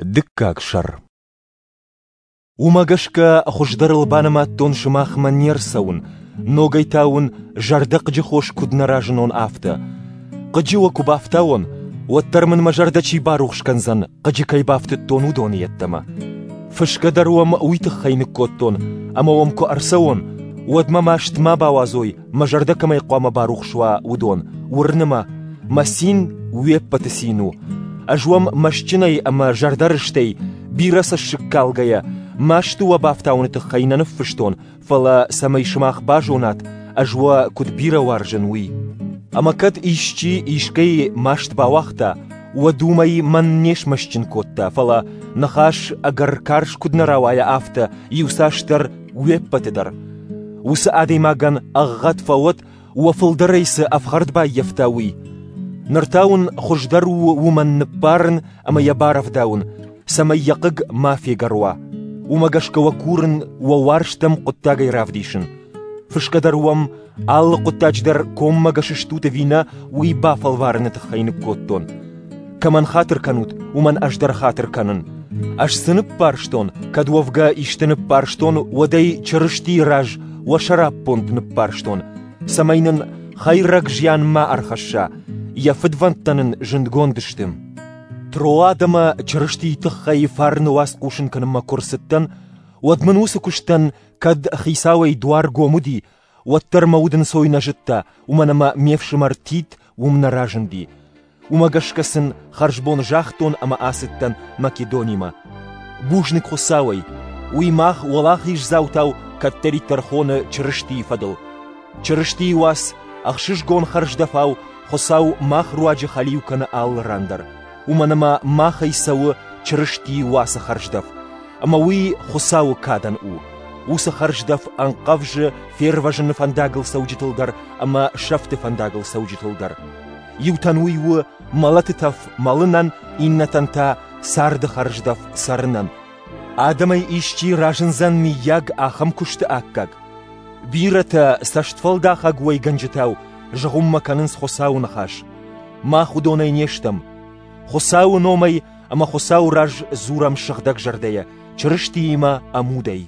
Дыккаг сӕр. Уымӕ гӕсгӕ хуыздӕрыл банымадтон сымахмӕ не рцӕуын, ногӕй та уын зӕрдӕхъыджы хос куыд нӕ разынон, афтӕ. Хъыджы уӕ куы бафтауон, уӕддӕр мын мӕ зӕрдӕ чи барухс кӕндзӕн, хъыджы кӕй бафтыдтон, уыдоны йеддӕмӕ. Фысгӕ дӕр уӕм уый тыххӕй ныккодтон, ӕмӕ уӕм куы ӕрцӕуон, уӕд мӕ маст ма бауадзой, мӕ зӕрдӕ кӕмӕй хъуамӕ барухс уа, уыдон, уырны мӕ, мӕ цин уе ппӕты цин у. Ӕз уӕм мӕстджынӕй ӕмӕ зӕрдӕрыстӕй, бирӕ цӕссыг калгӕйӕ, масты уӕ бафтауыны тыххӕй нӕ ныффыстон, фӕлӕ цӕмӕй сымах базонат, ӕз уӕ куыд бирӕ уарзын, уый. Ӕмӕ кӕд исчи искӕй маст бауагъта, уӕд уымӕй мӕн не смӕстджын кодта, фӕлӕ ныхас ӕгӕр карз куыд нӕ рауайа, афтӕ иуцасдӕр уе ппӕты дӕр. Уыцы адӕймагӕн ӕгъгъӕд фӕуӕд, уӕ фылдӕрӕй цы ӕфхӕрд баййӕфта, уый. Ныр та уын хуыздӕр у уымӕн ныббарын ӕмӕ йӕ барӕвдауын, цӕмӕй йӕ хъыг ма фегӕр уа. Уымӕ гӕсгӕ уӕ курын уӕ уарзтӕм хъуыддагӕй равдисын. Фысгӕ дӕр уӕм алы хъуыддаджы дӕр коммӕгӕс стут ӕви нӕ, уый бафӕлварыны тыххӕй ныккодтон. Кӕмӕн хатыр кӕнут, уымӕн ӕз дӕр хатыр кӕнын. Ӕз цы ныппӕрстон, кӕд уӕвгӕ исты ныппӕрстон, уӕд ӕй Чырыстийы раз уӕ сӕраппонд ныппӕрстон, цӕмӕй нын хӕйрӕг зиан ма ӕрхӕсса, йӕ фыдвӕндтӕ нын зындгонд сты. Троадӕмӕ Чырыстийы тыххӕй фарны уац хъусын кӕнынмӕ куы рцыдтӕн, уӕд мын уыцы куыстӕн кӕд хицауӕй дуар гом уыди, уӕддӕр мӕ удӕнцой нӕ зыдта, уымӕн ӕмӕ ме фсымӕр Тит уым нӕ разынди. Уымӕ гӕсгӕ сын хӕрзбон загътон ӕмӕ ацыдтӕн Македонимӕ. Бузныг Хуыцауӕй, уый мах уӕлахиздзаутау кӕддӕриддӕр хоны Чырыстийы фӕдыл. Чырыстийы уац ӕхсызгон хӕрздӕфау Хуыцау мах руаджы хӕлиу кӕны алы ран дӕр, уымӕн ӕмӕ махӕй цӕуы Чырыстийы уацы хӕрздӕф, ӕмӕ уый Хуыцауы кадӕн у. Уыцы хӕрздӕф ӕнхъӕвзы фервӕзыны фӕндагыл цӕуджытыл дӕр ӕмӕ сӕфты фӕндагыл цӕуджытыл дӕр. Иутӕн уый у мӕлӕты тӕф мӕлынӕн, иннӕтӕн та царды хӕрздӕф цӕрынӕн. Адӕмӕй исчи разындзӕн миййаг ахӕм куысты аккаг? Бирӕтӕ цӕстфӕлдахӕг уӕйгӕнджытау зыгъуыммӕ кӕнынц Хуыцауы ныхас. Мах уыдонӕй не стӕм. Хуыцауы номӕй ӕмӕ Хуыцауы раз дзурӕм сыгъдӕг зӕрдӕйӕ, Чырыстиимӕ ӕмудӕй.